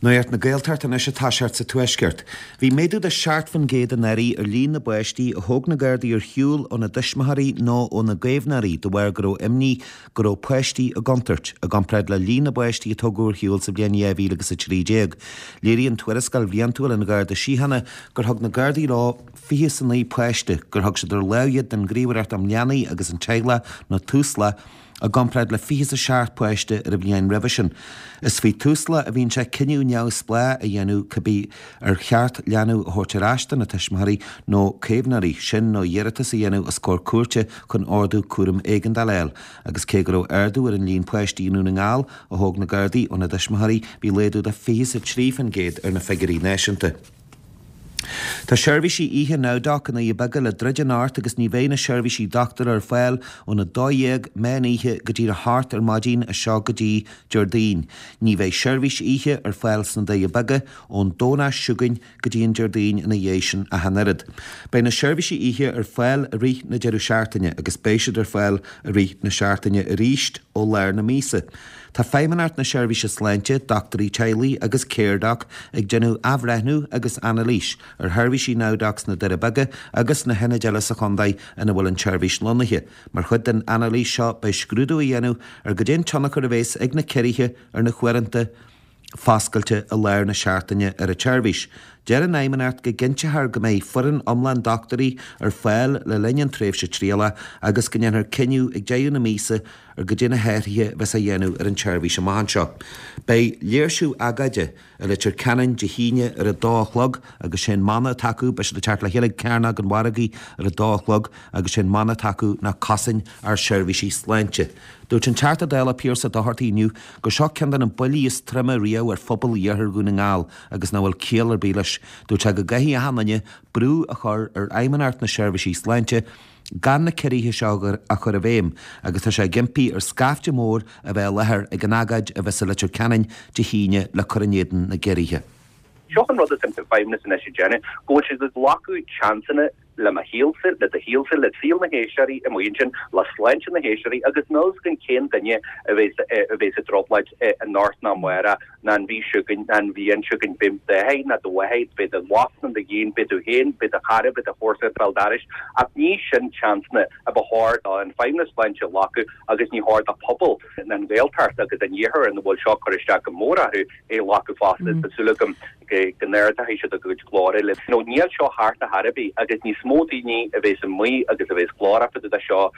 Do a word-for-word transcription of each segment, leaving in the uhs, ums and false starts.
Nuacht na Gaeltachta anois atá seart sa Tuaisceart. Bhí méadú de seacht faoin gcéad anuraidh ar líon na bpáistí a thóg na Gardaí ar shiúl óna dtuismitheoirí nó óna gcaomhnóirí de bharr go raibh imní go raibh páistí i gcontúirt, i gcomparáid le líon na bpáistí a tógadh ar shiúl sa bhliain dhá mhíle agus a trí déag. Léiríonn tuarascáil bhliantúil an Gharda Síochána gur thug na Gardaí leo fiche is a naoi páiste, gur thug siad ar láimh iad don Ghníomhaireacht um Leanaí agus an Teaghlach nó Tusla, i gcomparáid le fiche is a seacht páiste ar an bhliain roimhe sin. Is faoi Tusla a bhíonn sé cinneadh neamhspleách a dhéanamh cibé ar cheart leanbh a thabhairt ar ais do na tuismitheoirí nó caomhnóirí, sin nó iarratas a dhéanamh os comhair cúirte chun ordú cúraim éigeandála a fháil. Agus cé go raibh ardú ar an líon páistí i nDún na nGall a thóg na Gardaí óna dtuismitheoirí, bhí laghdú de fiche is a trí faoin gcéad ar na figiúirí náisiúnta. Tá seirbhísí oíche NowDoc i nDoirí Beaga le druid anocht agus ní bheidh na seirbhísí dochtúra ar fáil óna dó dhéag meán oíche go dtí a hocht ar maidin as seo go dtí Déardaoin. Ní bheidh seirbhís oíche ar fáil sna Doirí Beaga ón Domhnach seo chugainn go dtí an Déardaoin ina dhiaidh sin ach an oiread. Beidh na seirbhísí oíche ar fáil i rith na deireadh seachtaine agus beidh siad ar fáil i rith na seachtaine arís ó lár na míosa. Tá Feidhmeannacht na Seirbhíse Sláinte, dochtúirí teaghlaigh agus Caredoc ag déanamh athbhreithniú agus anailís ar sheirbhísí NowDoc sna Doirí Beaga agus sna hionaid eile sa chontae ina bhfuil an tseirbhís lonnaithe. Mar chuid den anailís seo beidh scrúdú á dhéanamh ar goidé an tionchar a bheas ag na ciorruithe ar na huaireanta foscailte i lár na seachtaine ar an tseirbhís. Deir an Fheidhmeannacht go gcinnteofar go mbeidh foireann iomlán dochtúirí ar fáil le linn an tréimhse trialach agus go ndéanfar cinneadh ag deireadh na míosa ar goidé na hathruithe a bheas á dhéanamh ar an tseirbhís amach anseo. Beidh léirsiú agóide i Leitir Ceanainn Dé hAoine ar a dó a chlog agus sé'n mana atá acu, beidh siad ag teacht le chéile ag Cearnóg an Mhargaidh ar a dó a chlog agus sé'n mana atá acu ná cosain ár seirbhísí sláinte. Dúirt an Teachta Dála Pearse Doherty inniu gur seo ceann de na buillí is troime riamh ar phobal iarthar Dhún na nGall agus nach bhfuil ciall ar bith leis. Dúirt sé go gcaithfidh achan duine brú a chur ar Fheidhmeannacht na Seirbhísí Sláinte gan na ciorruithe seo a chur i bhfeidhm agus tá sé ag impí ar scaifte mór a bheith i láthair ag an agóid a bheas i Leitir Ceanainn Dé hAoine le cur in éadan na gciorruithe. Seo an rud atá an Feidhmeannas anois ag déanamh, go bhfuil siad ag glacadh seansanna le mo shaolsa, le do shaolsa, le saol na héisteoirí amuigh ansin, le sláinte na héisteoirí agus níl a fhios againn cén duine a bheas a bheas i dtrioblóid anocht ná amárach ná an mhí seo chugainn ná an bhliain seo chugainn. Beidh d'athair ná do mháthair, beidh do mhac ná do iníon, beidh tú féin, beidh do chara, beidh do chomharsa ag béal dorais ach ní sin seansanna a ba chóir don Feidhmeannas Sláinte a ghlacadh agus ní chóir do phobal na Gaeltachta agus an Iarthair ina bhfuil seo ag cur isteach go mór orthu é a ghlacadh fosta. Tá súil agam go n-ardóidh siad a gcuid glóire le nó níl seo thart ar chor ar bith agus níos mó daoine a bheas amuigh agus a bheas glórach fá dtaobh de seo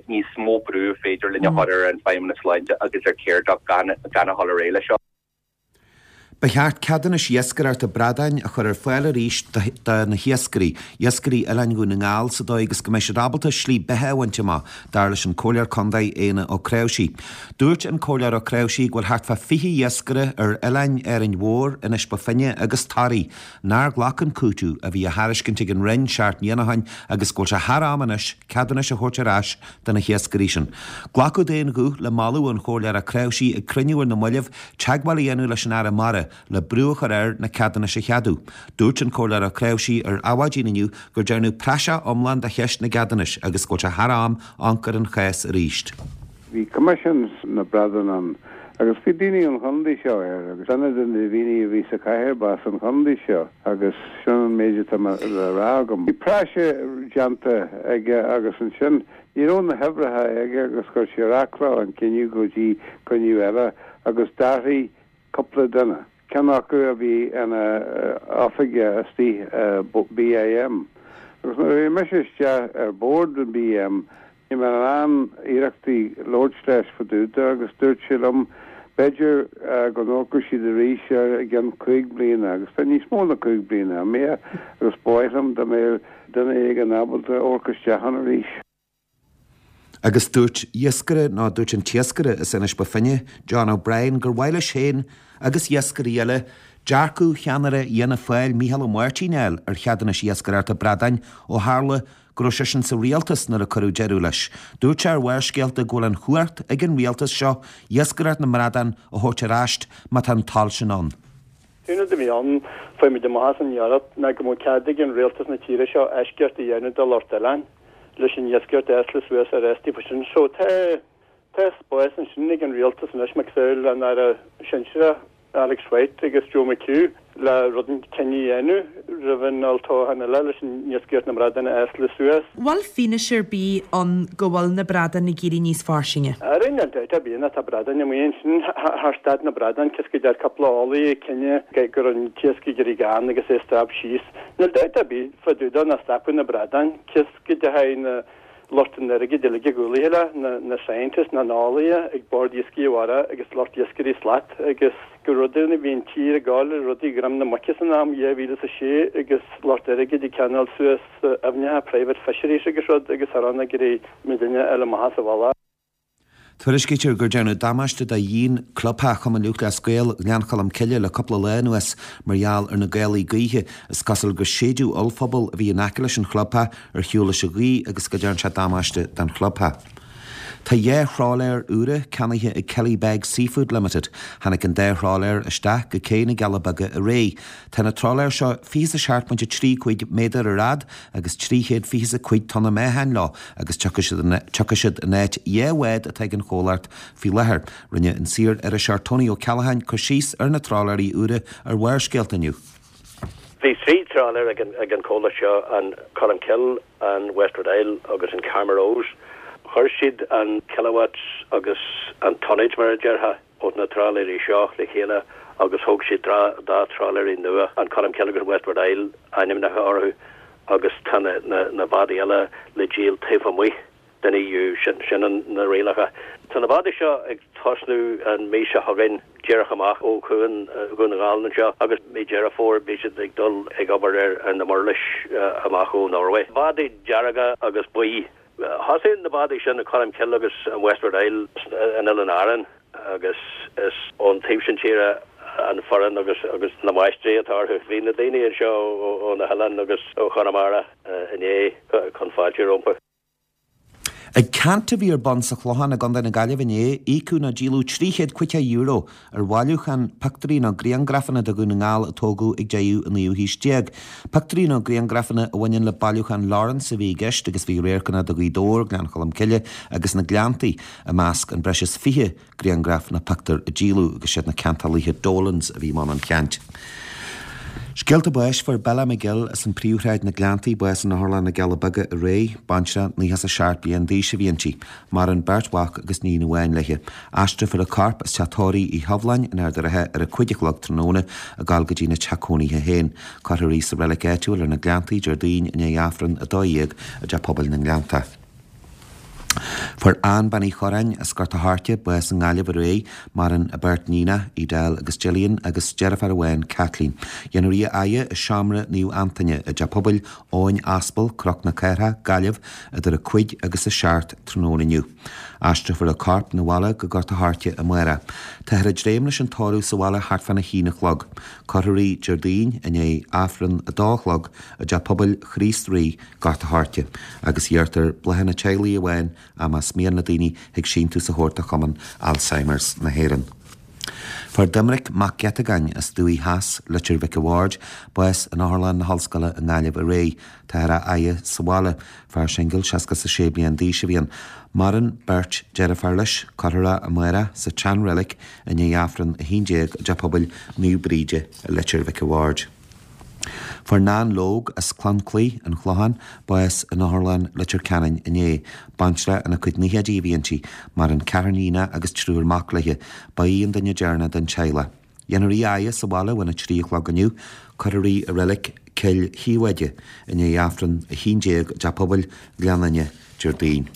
níos mó brú féidir linn a chur ar an Feidhmeannas Sláinte agus ar Caredoc gan gan a dhul ar aghaidh leis seo. Ba cheart ceadúnais iascaireachta bradáin a chur ar fáil arís do na hiascairí, iascairí Oileáin Dhún na nGall, sa dóigh agus go mbeidh siad ábalta slí beatha a bhaint amach, dar leis an Comhairleoir Contae Éanna Ó Creabhsí. Dúirt an Comhairleoir Ó Creabhsí go bhfuil thart fá fiche iascaire ar oileáin Árainn Mhór, Inis Bó Finne agus Toraigh nár ghlac an cúiteamh a bhí á thairiscint ag an Roinn seacht mbliana ó shin agus go bhfuil sé thar am anois ceadúnais a thabhairt ar ais do na hiascairí sin. Glacadh d'aon ghuth le moladh an Chomhairleora Creabhsí ag cruinniú ar na mallaibh teagmháil a dhéanamh leis an Aire Mara le brú a chur air na ceadúnais a cheadú. Dúirt an Comhairleoir Ó Creabhsí ar Adhmhaidin inniu gur dearnadh praiseach iomlán de cheist na gceadúnais agus go bhfuil sé thar am amharc ar an chás arís. Bhí Coimisiún na Bradán ann agus bhí daoine ón chontae seo air agus duine de na daoine a bhí sa chathaoir ba as an chontae seo agus sin an méid atá le rá agam. Bhí praiseach déanta aige agus ansin ní raibh na huimhreacha aige agus chuir sé ar athló an cinneadh go dtí cruinniú eile agus d'athraigh cúpla duine, ceann acu a bhí ina oifigeach istigh i BIM. Agus nuair a bhí mise isteach ar bord an BIM Bhí mé in ann iarrachtaí labhairt leis fá dtaobh de agus dúirt sé liom b'fhéidir go n-amharcfadh siad arís air i gceann cúig bliana agus tá níos mó ná cúig bliana imithe agus ba mhaith liom dá mbeadh duine éigin ábalta amharc isteach ann arís. Agus dúirt iascaire, nó dúirt an t-iascaire as Inis Bó Finne, John O'Brien, gur mhaith leis féin agus iascairí eile dearcadh cheannaire Fhianna Fáil, Micheál Ó Máirtín a fháil ar cheadúnais iascaireachta bradáin ó tharla go raibh seisean sa rialtas nuair a cuireadh deireadh leis. Dúirt sé ar Bharrscéalta go bhfuil an chumhacht ag an rialtas seo iascaireacht na mbradán a thabhairt ar ais má tá an toil sin ann. An rud a bhí ann, fuair muid amach as an iarracht ná go mbeadh cead ag an rialtas na tíre seo eisceacht a dhéanamh do lucht oileáin leis an iascaireacht a eascairt suas ar ais daofa sin. So tá tá spás ansin ag an rialtas anois, macasamhail an Aire sinsearach Alex White agus Joe McHugh le rud cinneadh a dhéanamh roimh an olltoghchán eile leis an iascaireacht na mbradan a easladh suas. Bhfuil fianaise ar bith ann go bhfuil na bradáin ag éirí níos fairsinge? Ara níl dabht ar bith tá bradáin amuigh ansin thar staid na bradán cos go deir cúpla eolaí ag cinneadh go raibh an t-iasc ag éirí gann agus é ag strap síos. Níl dabht ar bith fá dtaobh de nach stopadh na bradáin cos go dteachaidh na lucht an airgid uilig i gcúlaithe le, na na scientists, na n-eolaithe ag Bord Iascaigh Mhara agus lucht iascairí slat agus go rudaí a bhí an tír ag gabháil rudaí dhroim na muice san am dhá mhíle is a sé agus lucht airgid ag ceannáil suas aibhneacha private fisheries agus rud agus thar ann ag iarraidh muidinne a fháil amach as an bhealach. Tuairiscítear gur déanadh damáiste do dhíon clubtheach Chumann Lúthchleas Gael Ghleann Cholm Cille le cúpla lá anuas mar gheall ar na gálaí gaoithe. Is cosúil gur séideadh ollphuball a bhí in aice leis an chlubtheach ar shiúl leis an ghaoth agus go dtearn sé damáiste don chlubtheach. Tá dhá thrálaer úra ceannaithe ag Killybegs Seafood Limited. Tháinig an dá thrálaer isteach go cé na gCealla Beaga aréir. Tá na trálaeir seo fiche is a seacht pointe trí cúig méadar ar fhad agus trí chéad fiche is a cúig tonna meáchain leo agus tiocfaidh siad in áit dhá bhád atá ag an chomhlacht faoi láthair. Rinne an saor-iriseoir Tony Ó Ceallacháin cur síos ar na trálaeirí úra ar Bharrscéalta inniu. Bhí trí trálaer ag an ag an comhlacht seo, an Colmcille, an Westward Isle agus an Carmagh Rose. Chuir siad an kilowatts agus an tonnage, mar a déarfá, ó na trálaeirí seo le chéile agus thóg siad dá trálaeirí nua, an Colmcille agus an Westward Isle ainmnithe orthu, agus tá na na bádaí eile le díol taobh amuigh den EU, sin sin na rialacha. Tá na bádaí seo ag tosnú an mhí seo chugainn díreach amach ó chuan Dhún na nGall anseo agus mí Deireadh Fómhair beidh siad ag dul ag obair ar ar na murlais amach ó Norway. Bádaí dearga agus buí. Thosaigh na bádaí sin, an Colmcille agus an Westward Isle, in Oileáin Árann agus is ón taobh sin tíre an foireann agus agus na máistrí atá orthu. Bhí na daoine anseo ó na hoileáin agus ó Chonamara inné chun fáilte rompu. Ag ceant a bhí ar bun sa Chlochán i gContae na Gaillimhe inné, íocadh nó díoladh trí chéad caoga euro ar bhailiúchán pictiúirí nó grianghrafanna de Dhún na nGall a tógadh ag deireadh an naoú haois déag. Pictiúirí nó grianghrafanna a bhaineann le bailiúchán Lawrence a bhí i gceist agus bhí radharcanna de Ghaoth Dobhair, Gleann Cholm Cille agus na Gleanntaí i measc an breis is fiche grianghraf nó pictiúr a díoladh agus siad na ceantálaithe Dolans a bhí i mbun an cheant. Scéalta báis, Fuair Bella McGill as an Príomhshráid na Gleanntaí bás in Otharlann na gCealla Beaga aréir. Baintreach naocha is a seacht bliain d'aois a bhí inti. Maireann beirt mhac agus níon amháin léi. Aistreofar a corp as teach tórraimh Uí Shabhláin in Ard an Rátha ar a cúig a chlog tráthnóna ag gabháil go dtína teach cónaithe féin. Cuirfear í sa reilig áitiúil ar na Gleanntaí Déardaoin i ndiaidh Aifreann a dó dhéag i dTeach Pobail na nGleanntach. Fuair Ann Bean Uí Chorráin as Gort a' Choirce bás i nGaillimh aréir. Maireann a beirt níonach, Edel agus Gillian, agus deirfiúr amháin, Kathleen. Dhéanfar í a fhaire i Seomra Naomh Antaine i dTeach Pobail Eoin Aspal, Cnoc na Cathrach, Gaillimh, idir a cúig agus a seacht tráthnóna inniu. Aistreofar a corp 'na bhaile go Gort a' Choirce amárach. Táthar ag dréim leis an tórramh sa bhaile thart fána haon a chlog. Cuirfear í Déardaoin i ndiaidh Aifreann a dó a chlog i dTeach Pobail Chríost Rí, Gort a' Choirce, agus iarrtar bláthanna teaghlaigh amháin ach más mian le daoine thig síntiús a thabhairt do Chumann Alzheimer's na hÉireann. Fuair Doiminic Mac Geatagáin as Dumhaigh Theas, Leitir Mhic a' Bhaird, bás in Otharlann na hOllscoile i nGaillimh aréir. Táthar á fhaire sa bhaile. Fear singil seasca is a sé bliain d'aois a bhí ann. Maireann beirt deirfiúr leis. Cuirfear é amárach sa tseanreilig i ndiaidh Aifreann a haon déag i dTeach Pobail Naomh Bríde i Leitir Mhic a' Bhaird. Fuair Nan Logue as Clonclaí, An Clochán, bás in Otharlann Leitir Ceanainn inné. Baintreach ina cuid naochaidí a bhí inti. Maireann ceathrar níonach agus triúr mac léi. Ba í an duine deireanach den teaghlach. Dhéanfar í a fhaire sa bhaile óna trí a chlog inniu. Cuirfear í i reilig Cill Shiobháide i ndiaidh Aifreann a haon déag i dTeach Pobail Ghleann Fhinne Déardaoin.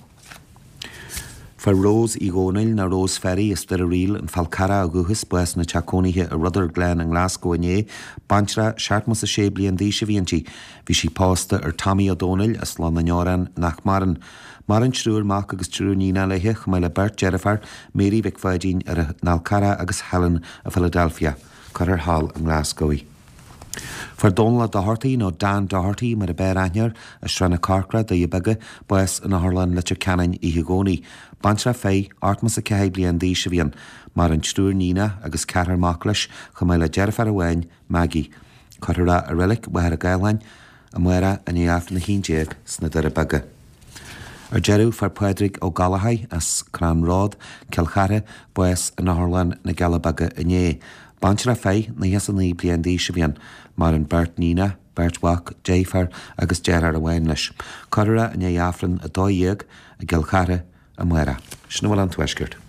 Fuair Rose Uí Dhónaill, nó Rose Ferry, as Doire Ríl, an Fál Carrach ó dhúchas, bás ina teach cónaithe i Rutherglen i nGlasgow inné. Baintreach seachtó is a sé bliain d'aois a bhí inti. Bhí sí pósta ar Tommy Ó Dónaill as Loch na nDeorán nach maireann. Maireann triúr mac agus triúr níonach léi, chomh maith le beirt deirfiúr, Mary Mhic Pháidín ar an Fhál Carrach agus Helen i Philadelphia. Cuirfear thall i nGlasgow í. Fuair Dónal Ó Dochartaigh, nó Dan Doherty mar a b'fhearr aithne air, as Srath na Corcra, Doire Beaga, bás in Otharlann Leitir Ceanainn oíche Dhomhnaigh. Baintreach fir, ochtó is a ceathair bliain d'aois a bhí ann. Maireann triúr níonach agus ceathrar mac leis, chomh maith le deirfiúr amháin, Maggie. Cuirfear é i reilig Mhachaire Gathlán amárach i ndiaidh Aifreann a haon déag sna Doire Beaga. Ar deireadh, fuair Pádraig Ó Gallachóir as Crann Rod, Cill Chartha, bás in Otharlann na gCealla Beaga inné. Baintreach fir, nócha is a naoi bliain d'aois a bhí ann. Maireann beirt níonach, beirt mhac, deirfiúr agus deartháir amháin leis. Cuirfear é i ndiaidh Aifreann a dó dhéag i gCill Chartha amárach. Sin a bhfuil ón Tuaisceart.